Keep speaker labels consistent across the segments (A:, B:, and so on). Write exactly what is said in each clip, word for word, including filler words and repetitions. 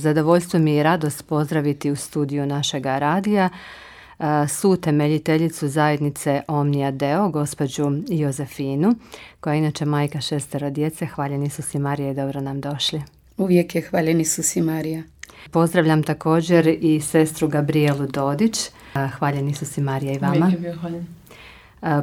A: Zadovoljstvo mi je i radost pozdraviti u studiju našega radija suutemeljiteljicu zajednice Omnia Deo, gospođu Jozefinu, koja je inače majka šestero djece. Hvaljeni su si Marija i dobro nam došli.
B: Uvijek je hvaljeni su si Marija.
A: Pozdravljam također i sestru Gabrielu Dodić. Hvaljeni su si Marija i vama.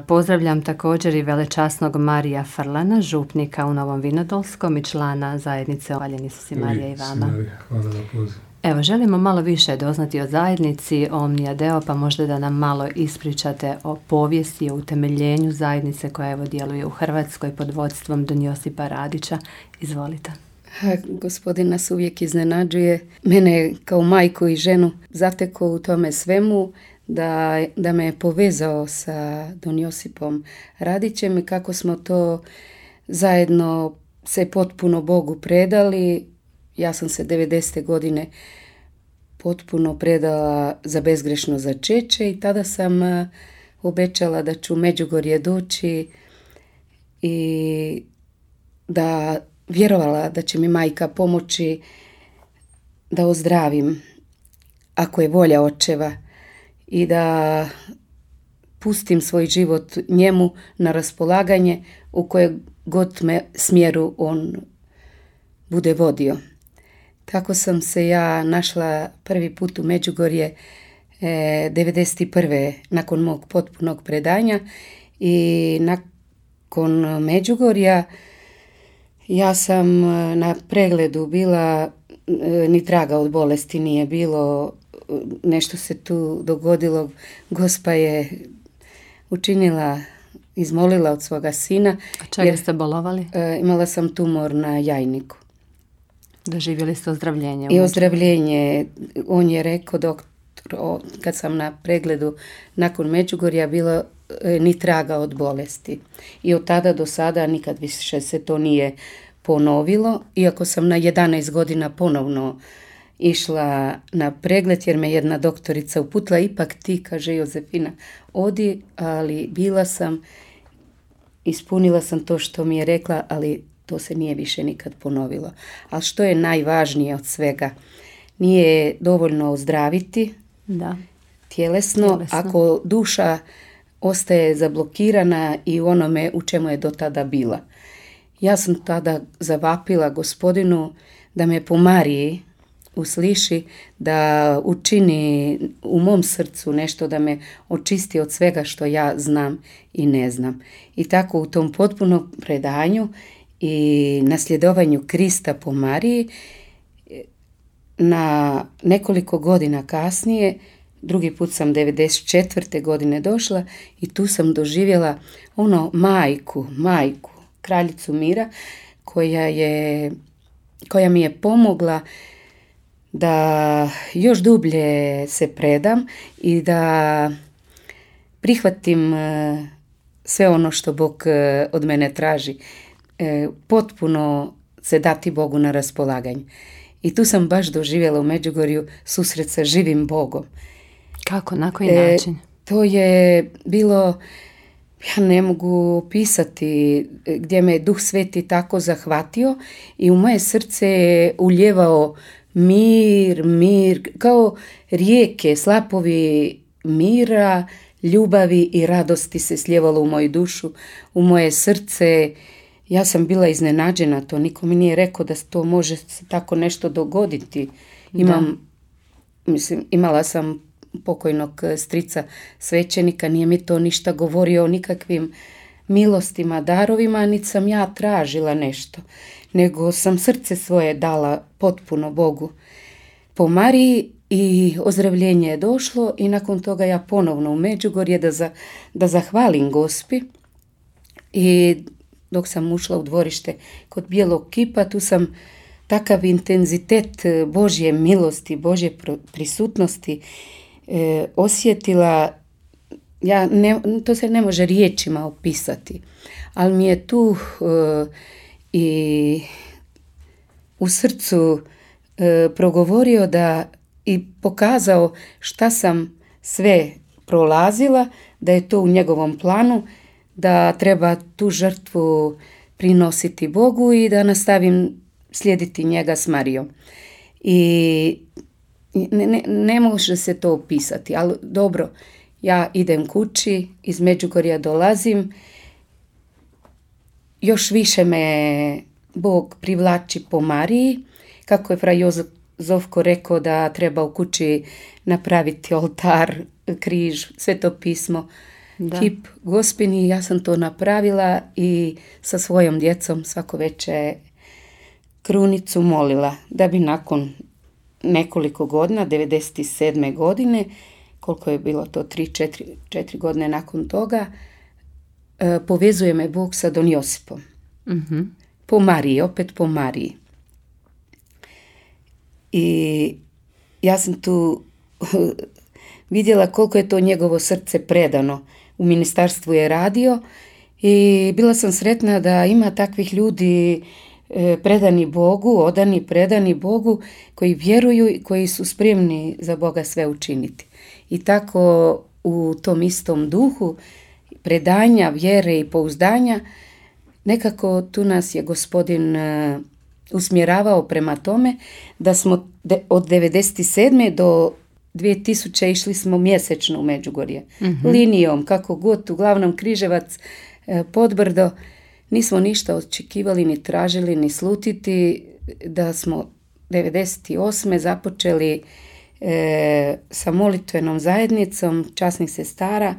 A: Pozdravljam također i velečasnog Marija Frlana, župnika u Novom Vinodolskom i člana zajednice. Hvaljeni su si Marija i vama.
C: Hvala na pozivu.
A: Evo, želimo malo više doznati o zajednici Omnia Deo, pa možda da nam malo ispričate o povijesti, o utemeljenju zajednice koja evo djeluje u Hrvatskoj pod vodstvom don Josipa Radića. Izvolite.
B: Ha, gospodin nas uvijek iznenađuje. Mene kao majku i ženu zatekao u tome svemu da, da me je povezao sa don Josipom Radićem i kako smo to zajedno se potpuno Bogu predali. Ja sam se devedesete godine potpuno predala za bezgrešno začeće i tada sam obećala da ću u Međugorje doći i da vjerovala da će mi majka pomoći da ozdravim ako je volja očeva i da pustim svoj život njemu na raspolaganje u koje god me smjeru on bude vodio. Tako sam se ja našla prvi put u Međugorje e, devedeset prve nakon mog potpunog predanja i nakon Međugorja ja sam na pregledu bila, e, ni traga od bolesti nije bilo, nešto se tu dogodilo, Gospa je učinila, izmolila od svoga sina.
A: A čega ste bolovali?
B: E, imala sam tumor na jajniku.
A: Doživjeli ste ozdravljenje?
B: I ozdravljenje. On je rekao, doktor, kad sam na pregledu nakon Međugorja bilo e, ni traga od bolesti. I od tada do sada nikad više se to nije ponovilo. Iako sam na jedanaest godina ponovno išla na pregled jer me jedna doktorica uputila, ipak ti, kaže Jozefina, odi, ali bila sam, ispunila sam to što mi je rekla, ali to se nije više nikad ponovilo. Ali što je najvažnije od svega, nije dovoljno ozdraviti
A: da.
B: Tjelesno, tjelesno, ako duša ostaje zablokirana i u onome u čemu je do tada bila. Ja sam tada zavapila Gospodinu da me po Mariji usliši, da učini u mom srcu nešto, da me očisti od svega što ja znam i ne znam. I tako u tom potpunom predanju i nasljedovanju Krista po Mariji, na nekoliko godina kasnije, drugi put sam devedeset četvrte godine došla i tu sam doživjela ono majku, majku, kraljicu mira, koja je, koja mi je pomogla da još dublje se predam i da prihvatim sve ono što Bog od mene traži. Potpuno se dati Bogu na raspolaganje. I tu sam baš doživjela u Međugorju susret sa živim Bogom.
A: Kako? Na koji e, način?
B: To je bilo, ja ne mogu opisati, gdje me Duh Sveti tako zahvatio i u moje srce je uljevao mir, mir, kao rijeke, slapovi mira, ljubavi i radosti se slijevalo u moju dušu, u moje srce. Ja sam bila iznenađena, to niko mi nije rekao da to može se tako nešto dogoditi. Imam, mislim, imala sam pokojnog strica svećenika, nije mi to ništa govorio o nikakvim milostima, darovima, niti sam ja tražila nešto, nego sam srce svoje dala potpuno Bogu po Mariji i ozdravljenje je došlo i nakon toga ja ponovno u Međugorje da, za, da zahvalim Gospi i dok sam ušla u dvorište kod bijelog kipa, tu sam takav intenzitet Božje milosti, Božje prisutnosti e, osjetila, ja ne, to se ne može riječima opisati, ali mi je tu e, i u srcu e, progovorio da i pokazao šta sam sve prolazila, da je to u njegovom planu, da treba tu žrtvu prinositi Bogu i da nastavim slijediti njega s Marijom. I ne, ne, ne može se to opisati, ali dobro, ja idem kući, iz Međugorja dolazim, još više me Bog privlači po Mariji, kako je fra Jozovko rekao da treba u kući napraviti oltar, križ, sveto pismo, da. Kip Gospini. Ja sam to napravila i sa svojom djecom svako večer krunicu molila, da bi nakon nekoliko godina, devedeset sedme godine, koliko je bilo to, tri, četiri, četiri godine nakon toga, povezuje me Bog sa Don Josipom. Mm-hmm. Po Mariji, opet po Mariji. I ja sam tu vidjela koliko je to njegovo srce predano. U ministarstvu je radio i bila sam sretna da ima takvih ljudi predani Bogu, odani, predani Bogu, koji vjeruju i koji su spremni za Boga sve učiniti. I tako u tom istom duhu predanja, vjere i pouzdanja, nekako tu nas je Gospodin uh, usmjeravao prema tome da smo de, od devedeset sedme do dvije tisuće išli smo mjesečno u Međugorje. Mm-hmm. Linijom, kako god, uglavnom Križevac, uh, Podbrdo. Nismo ništa očekivali, ni tražili, ni slutiti, da smo devedeset osme započeli e, sa molitvenom zajednicom časnih sestara,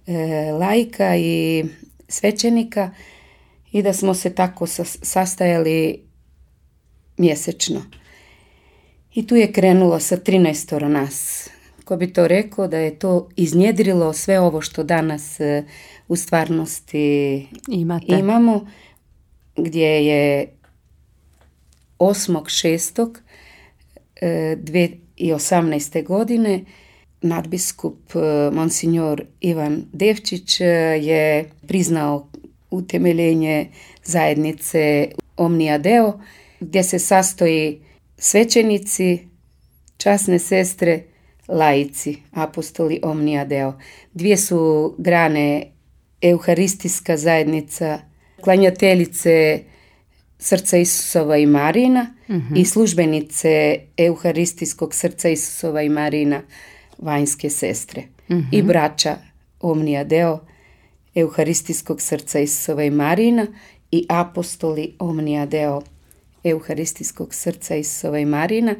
B: e, laika i svećenika i da smo se tako sas, sastajali mjesečno. I tu je krenulo sa trinaestoro nas. Ko bi to rekao, da je to iznjedrilo sve ovo što danas e, u stvarnosti Imate. imamo, gdje je osmog šestog dvije tisuće osamnaeste. godine nadbiskup monsignor Ivan Devčić je priznao utemeljenje zajednice Omnia Deo, gdje se sastoji svećenici, časne sestre, laici, apostoli Omnia Deo. Dvije su grane: Euharistijska zajednica, klanjateljice Srca Isusova i Marina, uh-huh. i službenice Euharistijskog Srca Isusova i Marina, vanjske sestre. Uh-huh. I braća Omnia Deo, Euharistijskog Srca Isusova i Marina, i apostoli Omnia Deo, Euharistijskog Srca Isusova i Marina.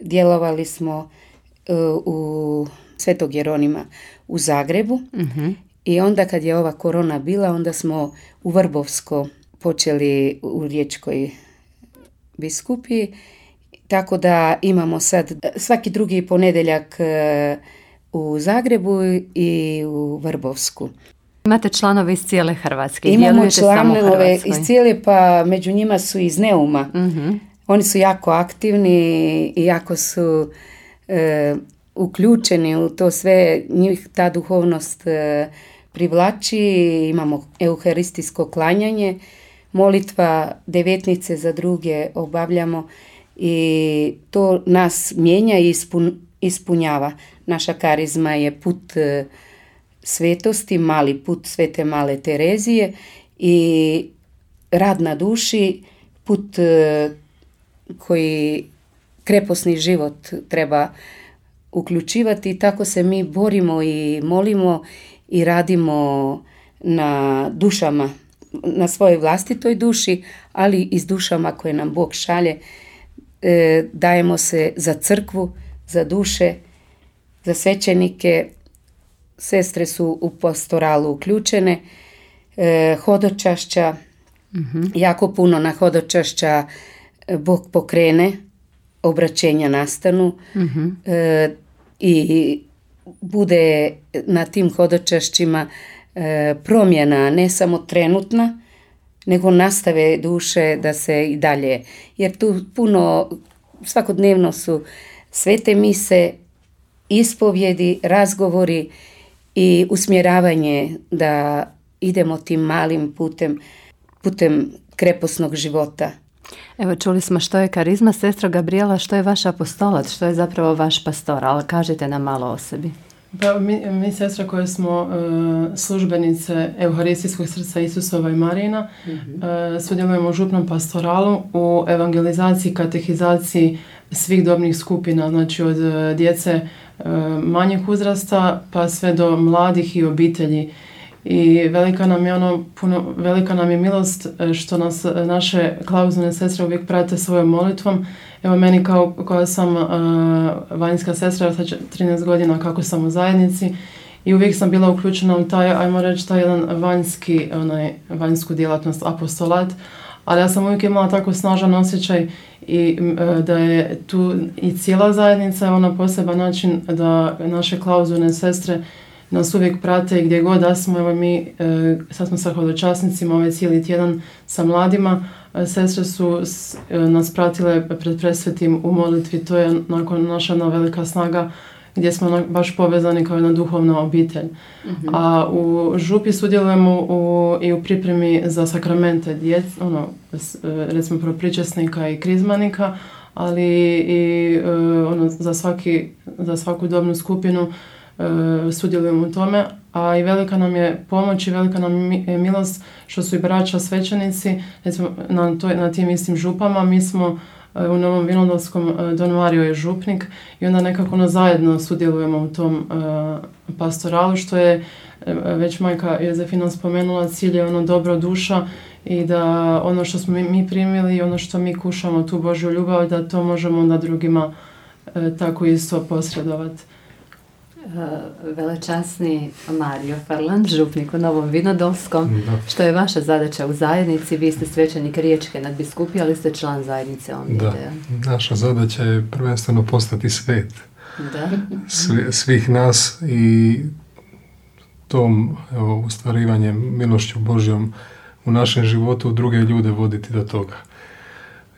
B: Djelovali smo uh, u Svetog Jeronima u Zagrebu. Uh-huh. I onda kad je ova korona bila, onda smo u Vrbovsko počeli u Riječkoj biskupiji. Tako da imamo sad svaki drugi ponedjeljak u Zagrebu i u Vrbovsku.
A: Imate članove iz cijele Hrvatske?
B: Imamo članove iz cijele, pa među njima su iz Neuma. Uh-huh. Oni su jako aktivni i jako su e, uključeni u to sve. Njih ta duhovnost e, privlači. Imamo euharistijsko klanjanje, molitva, devetnice za druge obavljamo i to nas mijenja i ispun, ispunjava. Naša karizma je put e, svetosti, mali put Svete Male Terezije i rad na duši, put e, koji kreposni život treba uključivati, i tako se mi borimo i molimo i radimo na dušama, na svojoj vlastitoj duši, ali i s dušama koje nam Bog šalje. E, dajemo se za crkvu, za duše, za svećenike. Sestre su u pastoralu uključene, e, hodočašća, mm-hmm. jako puno na hodočašća Bog pokrene, obraćenja nastanu, mm-hmm. e, i bude na tim hodočašćima e, promjena, ne samo trenutna, nego nastave duše da se i dalje, jer tu puno, svakodnevno su svete mise, ispovjedi, razgovori i usmjeravanje da idemo tim malim putem, putem kreposnog života.
A: Evo, čuli smo što je karizma. Sestra Gabriela, što je vaš apostolat, što je zapravo vaš pastor, ali kažite nam malo o sebi.
C: Pa mi, mi sestra koje smo uh, službenice Euharistijskog Srca Isusova i Marina, mm-hmm. uh, sudjelujemo u župnom pastoralu, u evangelizaciji, katehizaciji svih dobnih skupina, znači od djece manjeg uzrasta pa sve do mladih i obitelji. I velika nam je ono, puno, velika nam je milost što nas naše klauzulne sestre uvijek prate svojom molitvom. Evo meni kao koja sam uh, vanjska sestra, sad trinaest godina kako sam u zajednici i uvijek sam bila uključena u taj, ajmo reći, taj jedan vanjski, onaj, vanjsku djelatnost, apostolat, ali ja sam uvijek imala tako snažan osjećaj i uh, da je tu i cijela zajednica ona poseban način da naše klauzulne sestre nas uvijek prate i gdje god da smo. Evo mi, e, sad smo sa hodočasnicima ovaj cijeli tjedan sa mladima. E, sestre su s, e, nas pratile pred presvetim u molitvi. To je nakon naša jedna velika snaga gdje smo na, baš povezani kao jedna duhovna obitelj. Mm-hmm. A u župi sudjelujemo u, i u pripremi za sakramente djec, ono, s, recimo propričesnika i krizmanika, ali i e, ono, za, svaki, za svaku dobnu skupinu Uh, sudjelujemo u tome, a i velika nam je pomoć i velika nam je milost što su i braća svećenici, recimo na, toj, na tim istim župama. Mi smo uh, u Novom Vinodolskom, uh, Don Mario je župnik i onda nekako ono zajedno sudjelujemo u tom uh, pastoralu, što je uh, već majka Jozefina spomenula, cilj je ono dobro duša i da ono što smo mi, mi primili i ono što mi kušamo, tu Božju ljubav, da to možemo onda drugima uh, tako isto posredovati.
A: Velečasni Mario Farland, župnik u Novom Vinodolskom. Da. Što je vaša zadaća u zajednici? Vi ste svećenik Riječke nadbiskupije, ali ste član zajednice Omnije Deo.
D: Da, naša zadaća je prvenstveno postati svet. Da. Svi, svih nas i tom evo, ustvarivanjem milošću Božjom u našem životu druge ljude voditi do toga.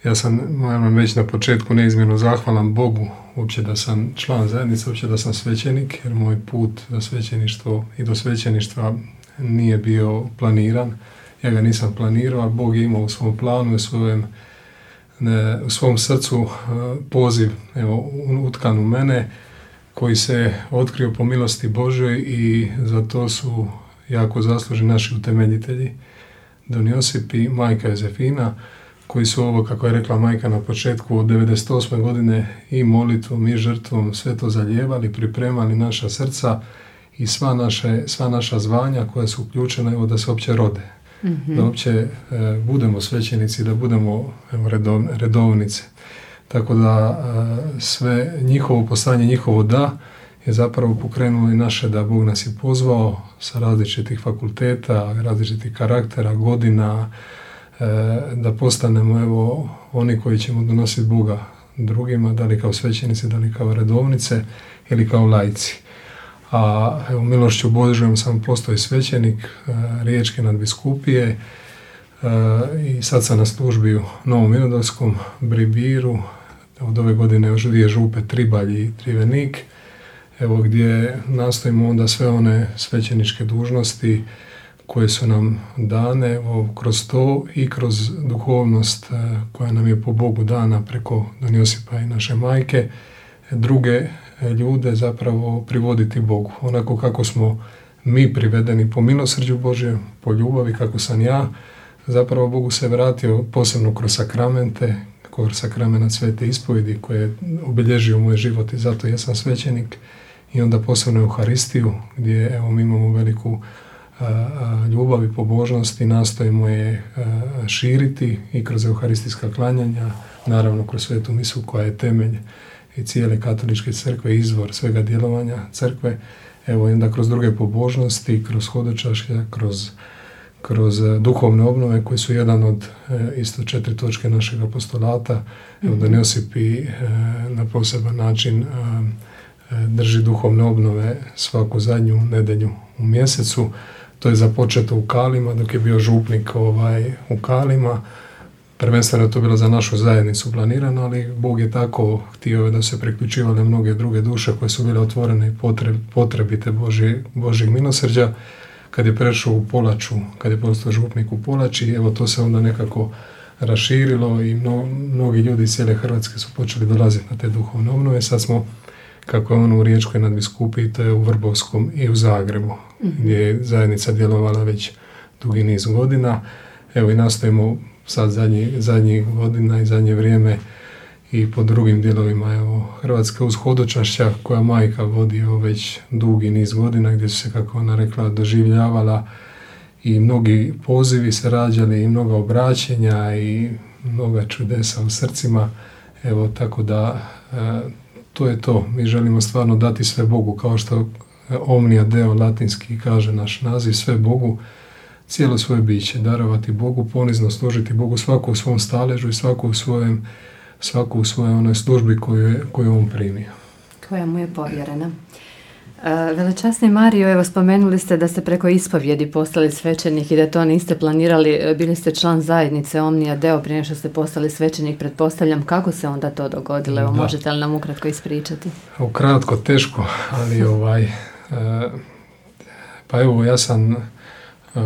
D: Ja sam, moram već na početku neizmjerno zahvalan Bogu uopće da sam član zajednice, uopće da sam svećenik, jer moj put do svećeništva i do svećeništva nije bio planiran. Ja ga nisam planirao, ali Bog je imao u svom planu, u, svojem, ne, u svom srcu poziv evo, utkan u mene, koji se otkrio po milosti Božoj i za to su jako zaslužni naši utemeljitelji, Don Josip i majka Jozefina, koji su ovo, kako je rekla majka na početku, od devedeset osme godine i molitvom i žrtvom sve to zalijevali, pripremali naša srca i sva, naše, sva naša zvanja koja su uključena evo, da se uopće rode. Mm-hmm. Da uopće e, budemo svećenici, da budemo evo, redov, redovnice. Tako da e, sve njihovo poslanje, njihovo da je zapravo pokrenulo i naše da Bog nas je pozvao sa različitih fakulteta, različitih karaktera, godina, da postanemo evo oni koji ćemo donositi Boga drugima, da li kao svećenici, da li kao redovnice ili kao laici. A evo milošću Božjom sam postao i svećenik Riječke nadbiskupije i sad sam na službi u Novom Vinodolskom, Bribiru, od ove godine još dvije župe, Tribalj i Trivenik, evo gdje nastojimo onda sve one svećeničke dužnosti koje su nam dane o, kroz to i kroz duhovnost e, koja nam je po Bogu dana preko Don Josipa i naše majke, druge e, ljude zapravo privoditi Bogu. Onako kako smo mi privedeni po milosrđu Božje, po ljubavi, kako sam ja, zapravo Bogu se vratio posebno kroz sakramente, kroz sakrament Svete ispovjedi koje je obilježio moj život i zato ja sam svećenik i onda posebno Euharistiju gdje evo mi imamo veliku ljubav i pobožnost i nastojimo je širiti i kroz euharistijska klanjanja, naravno kroz svetu misu koja je temelj i cijele katoličke crkve, izvor svega djelovanja crkve, evo i onda kroz druge pobožnosti, kroz hodočašća, kroz, kroz duhovne obnove koji su jedan od isto četiri točke našeg apostolata, evo mm-hmm. Don Josip i na poseban način drži duhovne obnove svaku zadnju nedjelju u mjesecu. To je započeto u Kalima, dok je bio župnik ovaj, u Kalima. Prvenstveno je to bilo za našu zajednicu planirano, ali Bog je tako htio da se priključivale mnoge druge duše koje su bile otvorene i potreb, potrebite Božje, Božjeg milosrđa. Kad je prešao u Polaču, kad je postao župnik u Polači, evo to se onda nekako raširilo i mno, mnogi ljudi iz cijele Hrvatske su počeli dolaziti na te duhovne obnove. Sad smo, kako je ono u Riječkoj nadbiskupiji, to je u Vrbovskom i u Zagrebu, mm-hmm. gdje je zajednica djelovala već dugi niz godina. Evo i nastojimo sad zadnjih zadnji godina i zadnje vrijeme i po drugim dijelovima evo, Hrvatske uz hodočašća koja majka vodi evo, već dugi niz godina gdje su se, kako ona rekla, doživljavala i mnogi pozivi se rađali i mnoga obraćenja i mnoga čudesa u srcima. Evo, tako da e, to je to. Mi želimo stvarno dati sve Bogu, kao što Omnia Deo latinski kaže naš naziv, sve Bogu, cijelo svoje biće, darovati Bogu, ponizno služiti Bogu, svako u svom staležu i svako u svojem, svako u svojoj onoj službi koju je, koju on primio.
A: Koja mu je povjerena. Velečasni Mario, evo spomenuli ste da ste preko ispovjedi postali svećenik i da to niste planirali, bili ste član zajednice Omnia Deo prije što ste postali svećenik, pretpostavljam, kako se onda to dogodilo? Evo, možete li nam ukratko ispričati?
D: Ukratko, teško, ali ovaj, e, pa evo ja sam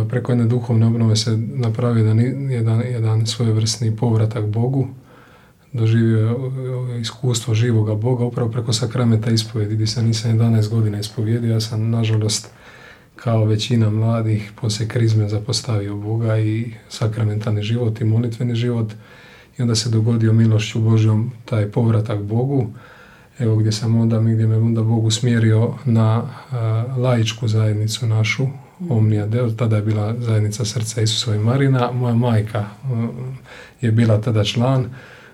D: preko jedne duhovne obnove se napravio jedan, jedan, jedan svojevrsni povratak Bogu, doživio iskustvo živoga Boga upravo preko sakramenta ispovjedi gdje sam nisam jedanaest godina ispovjedio. Ja sam nažalost kao većina mladih poslije krizme zapostavio Boga i sakramentalni život i molitveni život i onda se dogodio milošću Božjom taj povratak Bogu, evo gdje sam onda, gdje me onda Bog usmjerio na uh, laičku zajednicu našu, Omnia Deo, tada je bila zajednica Srca Isusova i Marina, moja majka uh, je bila tada član,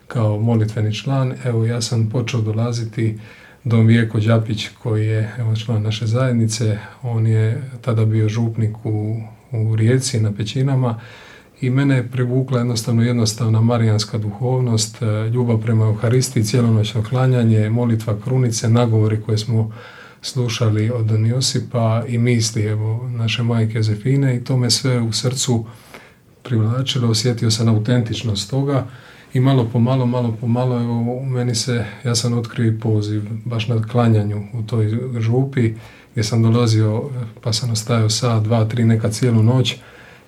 D: kao molitveni član. Evo ja sam počeo dolaziti do Vijeko Đapić koji je evo, član naše zajednice, on je tada bio župnik u, u Rijeci na Pećinama i mene je privukla jednostavno jednostavna marijanska duhovnost, ljubav prema Euharistiji, cijelonoćno klanjanje, molitva krunice, nagovori koje smo slušali od Don Josipa i misli evo, naše majke Jozefine i to me sve u srcu privlačilo, osjetio sam autentičnost toga. I malo po malo, malo po malo, evo, u meni se, ja sam otkrio i poziv, baš na klanjanju u toj župi, gdje sam dolazio, pa sam ostajao sat, dva, tri, neka cijelu noć.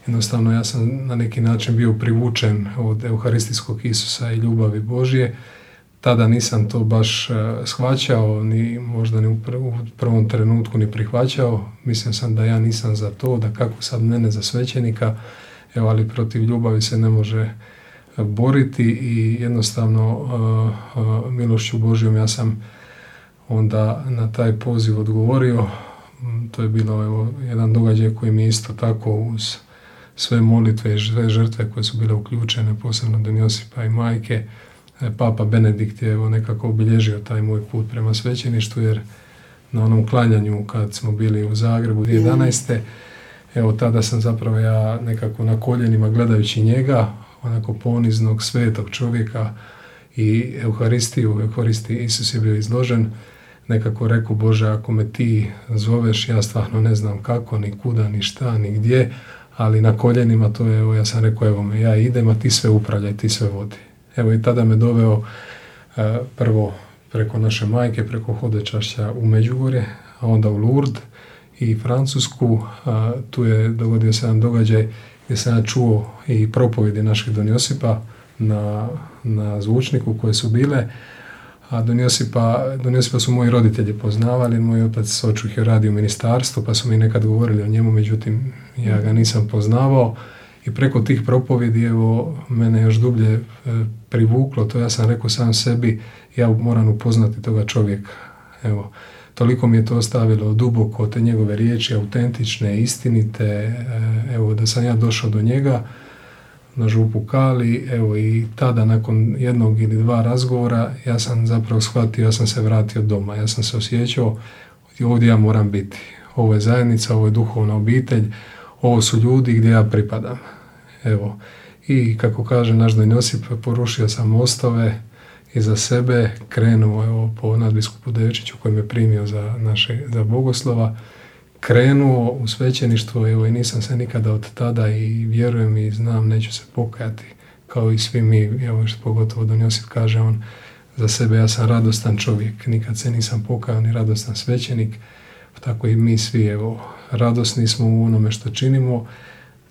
D: Jednostavno, ja sam na neki način bio privučen od Euharistijskog Isusa i ljubavi Božje. Tada nisam to baš uh, shvaćao, ni možda ni u, pr- u prvom trenutku ni prihvaćao. Mislio sam da ja nisam za to, da kako sad mene za svećenika, evo, ali protiv ljubavi se ne može boriti i jednostavno uh, uh, milošću Božjom ja sam onda na taj poziv odgovorio. To je bilo evo, jedan događaj koji mi isto tako uz sve molitve i sve žrtve koje su bile uključene, posebno Don Josipa i majke, Papa Benedikt je evo, nekako obilježio taj moj put prema svećeništvu, jer na onom klanjanju kad smo bili u Zagrebu dvije tisuće jedanaeste. Evo tada sam zapravo ja nekako na koljenima gledajući njega, onako poniznog, svetog čovjeka i Euharistiju, u Euharistiji Isus je bio izložen, nekako rekao Bože, ako me ti zoveš, ja stvarno ne znam kako, ni kuda, ni šta, ni gdje, ali na koljenima to je, evo ja sam rekao, evo me, ja idem, a ti sve upravljaj, ti sve vodi. Evo i tada me doveo uh, prvo preko naše majke, preko hodočašća u Međugorje, a onda u Lourdes i Francusku. Uh, tu je dogodio se jedan događaj gdje sam ja čuo i propovjedi naših Don Josipa na, na zvučniku koje su bile. A Don Josipa, Don Josipa su moji roditelji poznavali, moj otac očuh je radio u ministarstvu, pa su mi nekad govorili o njemu, međutim ja ga nisam poznavao. I preko tih propovjedi, evo, mene još dublje e, privuklo, to ja sam rekao sam sebi, ja moram upoznati toga čovjeka. Evo, toliko mi je to ostavilo duboko, te njegove riječi, autentične, istinite, e, evo, da sam ja došao do njega na župu Kali, evo, i tada nakon jednog ili dva razgovora, ja sam zapravo shvatio, ja sam se vratio doma, ja sam se osjećao, ovdje ja moram biti. Ovo je zajednica, ovo je duhovna obitelj, ovo su ljudi gdje ja pripadam. Evo, i kako kaže naš Don Josip, porušio sam mostove i za sebe krenuo evo, po nadbiskupu Devčiću koji me primio za, naše, za bogoslova, krenuo u svećeništvo, evo, i nisam se nikada od tada i vjerujem i znam, neću se pokajati, kao i svi mi, evo, što pogotovo Don Josip kaže, on za sebe, ja sam radostan čovjek, nikad se nisam pokajao ni radostan svećenik, tako i mi svi, evo, radosni smo u onome što činimo,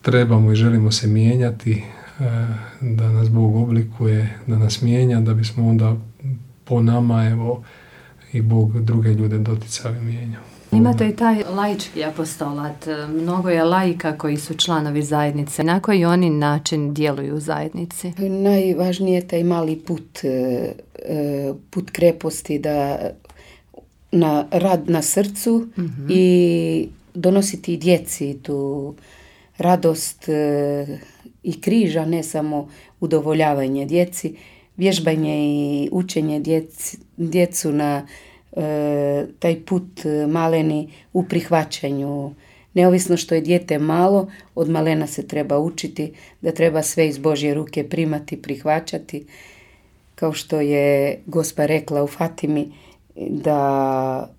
D: trebamo i želimo se mijenjati, da nas Bog oblikuje, da nas mijenja, da bismo onda po nama, evo, i Bog druge ljude doticao i mijenjao.
A: Imate i taj laički apostolat. Mnogo je laika koji su članovi zajednice. Na koji oni način djeluju u zajednici?
B: Najvažnije je taj mali put, put kreposti, da na rad na srcu mm-hmm. i donositi djeci tu radost i križa, ne samo udovoljavanje djeci, vježbanje i učenje djeci, djecu na e, taj put maleni u prihvaćanju. Neovisno što je dijete malo, od malena se treba učiti da treba sve iz Božje ruke primati, prihvaćati. Kao što je Gospa rekla u Fatimi, da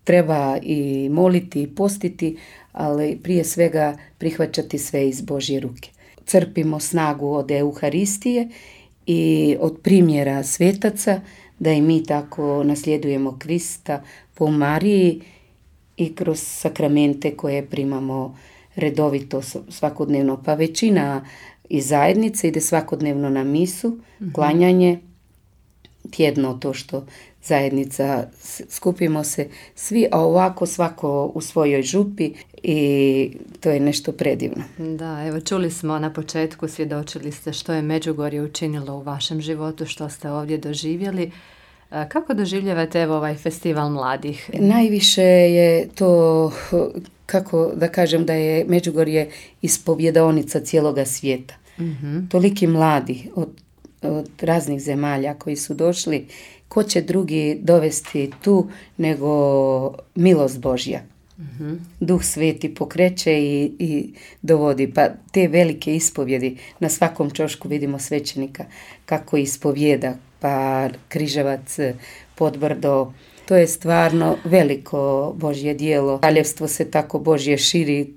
B: treba i moliti i postiti, ali prije svega prihvaćati sve iz Božje ruke. Crpimo snagu od Euharistije i od primjera svetaca, da i mi tako nasljedujemo Krista po Mariji i kroz sakramente koje primamo redovito svakodnevno. Pa većina iz zajednice ide svakodnevno na misu, mm-hmm. klanjanje, tjedno to što zajednica, skupimo se svi, a ovako svako u svojoj župi i to je nešto predivno.
A: Da, evo čuli smo na početku, svjedočili ste što je Međugorje učinilo u vašem životu, što ste ovdje doživjeli. Kako doživljavate evo ovaj festival mladih?
B: Najviše je to, kako da kažem, da je Međugorje ispovjedaonica cijeloga svijeta. Mm-hmm. Toliki mladi od, od raznih zemalja koji su došli, ko će drugi dovesti tu nego milost Božja. Mm-hmm. Duh Sveti pokreće i, i dovodi. Pa te velike ispovjedi, na svakom čošku vidimo svećenika kako ispovjeda, pa Križevac, Podbrdo, to je stvarno veliko Božje djelo. Kraljevstvo se tako Božje širi,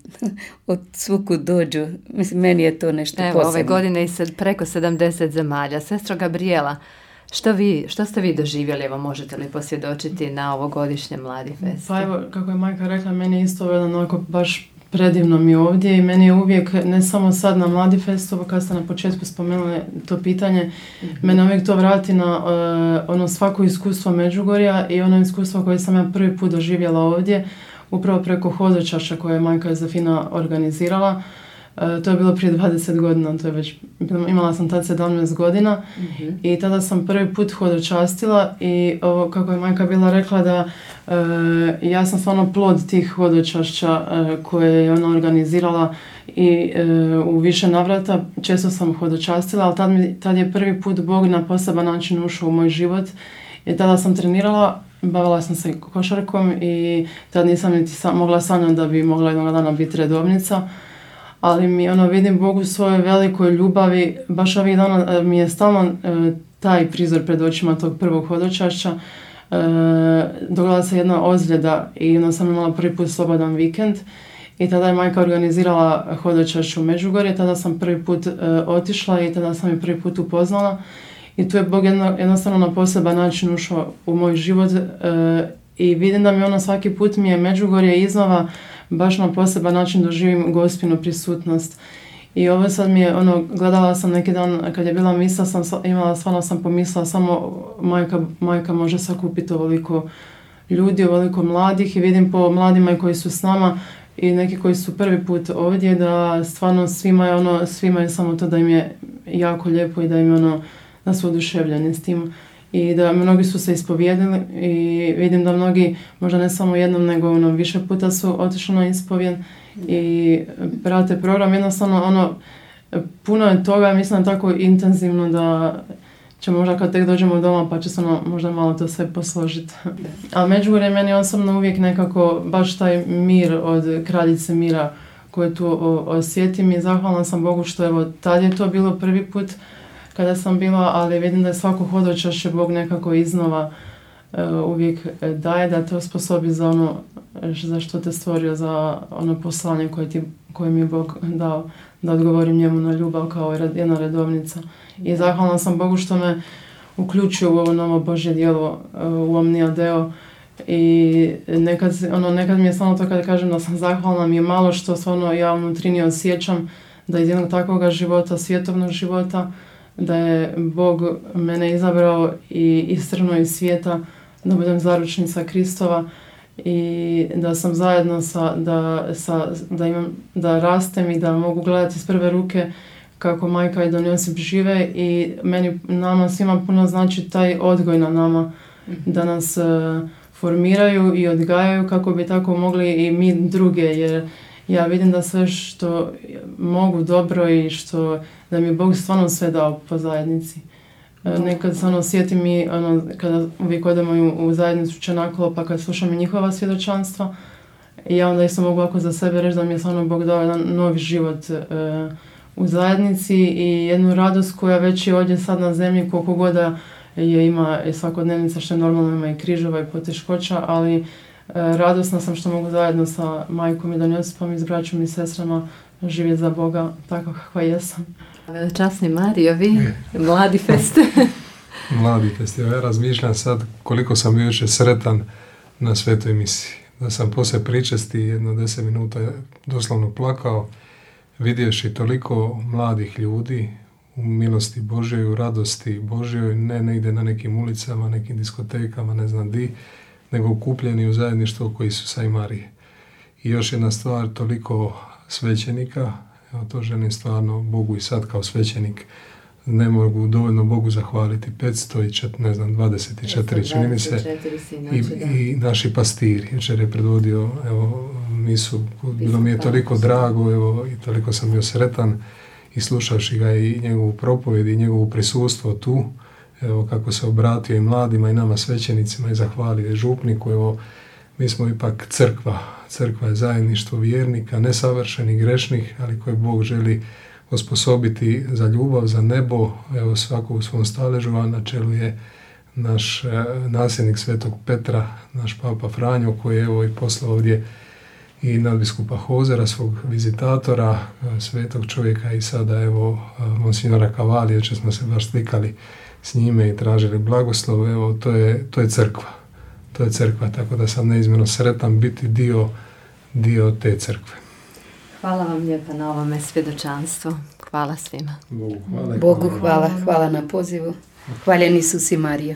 B: od svukud dođu. Mislim, meni je to nešto
A: Evo,
B: posebno.
A: Ove godine i sad preko sedamdeset zemalja. Sestro Gabriela, što, vi, što ste vi doživjeli? Evo, možete li posvjedočiti na ovogodišnje Mladi fest?
C: Pa evo, kako je majka rekla, meni je isto onako baš predivno mi ovdje i meni je uvijek, ne samo sad na Mladi festu, kad ste na početku spomenuli to pitanje, mm-hmm. mene uvijek to vrati na uh, ono svako iskustvo Međugorja i ono iskustvo koje sam ja prvi put doživjela ovdje, upravo preko hodočašća koje je majka Jozefina organizirala. Uh, to je bilo prije dvadeset godina, to je već, imala sam tad sedamnaest godina mm-hmm. i tada sam prvi put hodočastila i ovo, kako je majka bila rekla, da uh, ja sam stvarno plod tih hodočašća uh, koje je ona organizirala i uh, u više navrata često sam hodočastila, ali tad, mi, tad je prvi put Bog na poseban način ušao u moj život i tada sam trenirala, bavila sam se košarkom i tad nisam niti sam, mogla sanjati da bi mogla jednog dana biti redovnica. Ali mi ono vidim Bogu u svojoj velikoj ljubavi, baš ovih dana mi je stalno e, taj prizor pred očima tog prvog hodočašća. E, dogodila se jedna ozljeda i onda sam imala prvi put slobodan vikend i tada je majka organizirala hodočašće u Međugorje, tada sam prvi put e, otišla i tada sam je prvi put upoznala i tu je Bog jedno, jednostavno na poseban način ušao u moj život e, i vidim da mi ono svaki put mi je Međugorje iznova baš na poseban način doživim Gospinu prisutnost. I ovo sad mi je, ono, gledala sam neki dan kad je bila misa, sam imala, stvarno sam pomislila samo majka, majka može sakupiti ovoliko ljudi, ovoliko mladih i vidim po mladima koji su s nama i neki koji su prvi put ovdje da stvarno svima je ono, svima je samo to da im je jako lijepo i da im je ono, da su oduševljeni s tim. I da mnogi su se ispovijedili i vidim da mnogi, možda ne samo jednom, nego ono, više puta su otišli na ispovijed i prate program. Jednostavno, ono, puno je toga, mislim tako intenzivno da će možda kad tek dođemo doma pa će se ono, možda malo to sve posložiti. Ali Međugorje meni osobno uvijek nekako baš taj mir od Kraljice mira koji tu osjetim i zahvalna sam Bogu što evo tad je to bilo prvi put kada sam bila, ali vidim da je svako hodočašće Bog nekako iznova uh, uvijek daje da te osposobi za ono za što te stvorio, za ono poslanje koje, ti, koje mi je Bog dao, da odgovorim njemu na ljubav kao jedna redovnica. I zahvalna sam Bogu što me uključio u ovo novo Božje djelo, uh, u Omnia Deo. I nekad, ono, nekad mi je stvarno to kada kažem da sam zahvalna, mi je malo što stvarno ja unutrini osjećam da iz jednog takvog života, svjetovnog života, da je Bog mene izabrao i istrnuo iz svijeta da budem zaručnica Kristova i da sam zajedno sa, da, sa, da, imam, da rastem i da mogu gledati iz prve ruke kako majka i don Josip žive i meni, nama svima puno znači taj odgoj na nama, da nas uh, formiraju i odgajaju kako bi tako mogli i mi druge, jer ja vidim da sve što mogu dobro i što da mi je Bog stvarno sve dao po zajednici. Nekad se ono sjetim i ono, kada uvijek odemo u, u zajednicu Čenakolo, pa kad slušam i njihova svjedočanstva, i ja onda isto mogu ovako za sebe reći da mi je stvarno Bog dao jedan novi život e, u zajednici i jednu radost koja već je ovdje sad na zemlji, koliko god je ima svakodnevnica, što je normalno, ima i križeva i poteškoća, ali e, radosna sam što mogu zajedno sa majkom i don Josipom i s braćom i sestrama živjeti za Boga tako kakva jesam.
A: Veličasni Mario, vi, mladi fest.
D: Mladi fest. Ja razmišljam sad koliko sam bio još sretan na svetoj misiji. Da sam poslije pričesti jedno deset minuta doslovno plakao, vidjevši toliko mladih ljudi u milosti Božjoj, u radosti Božjoj, ne negdje na nekim ulicama, nekim diskotekama, ne znam di, nego okupljeni u zajedništvu oko Isusa i Marije. I još jedna stvar, toliko svećenika. Evo, to želim stvarno Bogu i sad kao svećenik. Ne mogu dovoljno Bogu zahvaliti. petsto i čet, ne znam, dvadeset četiri čini mi se. I, i naši pastiri. Jučer je predvodio, evo, misu. Bilo mi je toliko drago, evo, i toliko sam bio sretan. I slušavši ga i njegovu propovjed i njegovu prisustvo tu, evo, kako se obratio i mladima i nama svećenicima i zahvalio i župniku, evo, mi smo ipak crkva. Crkva je zajedništvo vjernika, nesavršenih, grešnih, ali koje Bog želi osposobiti za ljubav, za nebo. Evo, svako u svom staležu, a na čelu je naš e, nasljednik Svetog Petra, naš papa Franjo, koji je evo i poslao ovdje i nadbiskupa Hozera, svog vizitatora, e, svetog čovjeka, i sada evo e, monsignora Cavalli, jer smo se baš slikali s njime i tražili blagoslov. Evo, to je, to je crkva. To je crkva, tako da sam neizmjerno sretan biti dio, dio te crkve.
A: Hvala vam lijepa na ovome svjedočanstvu. Hvala svima.
D: Bogu hvala.
B: Bogu hvala, hvala na pozivu. Hvaljen Isus i Marija.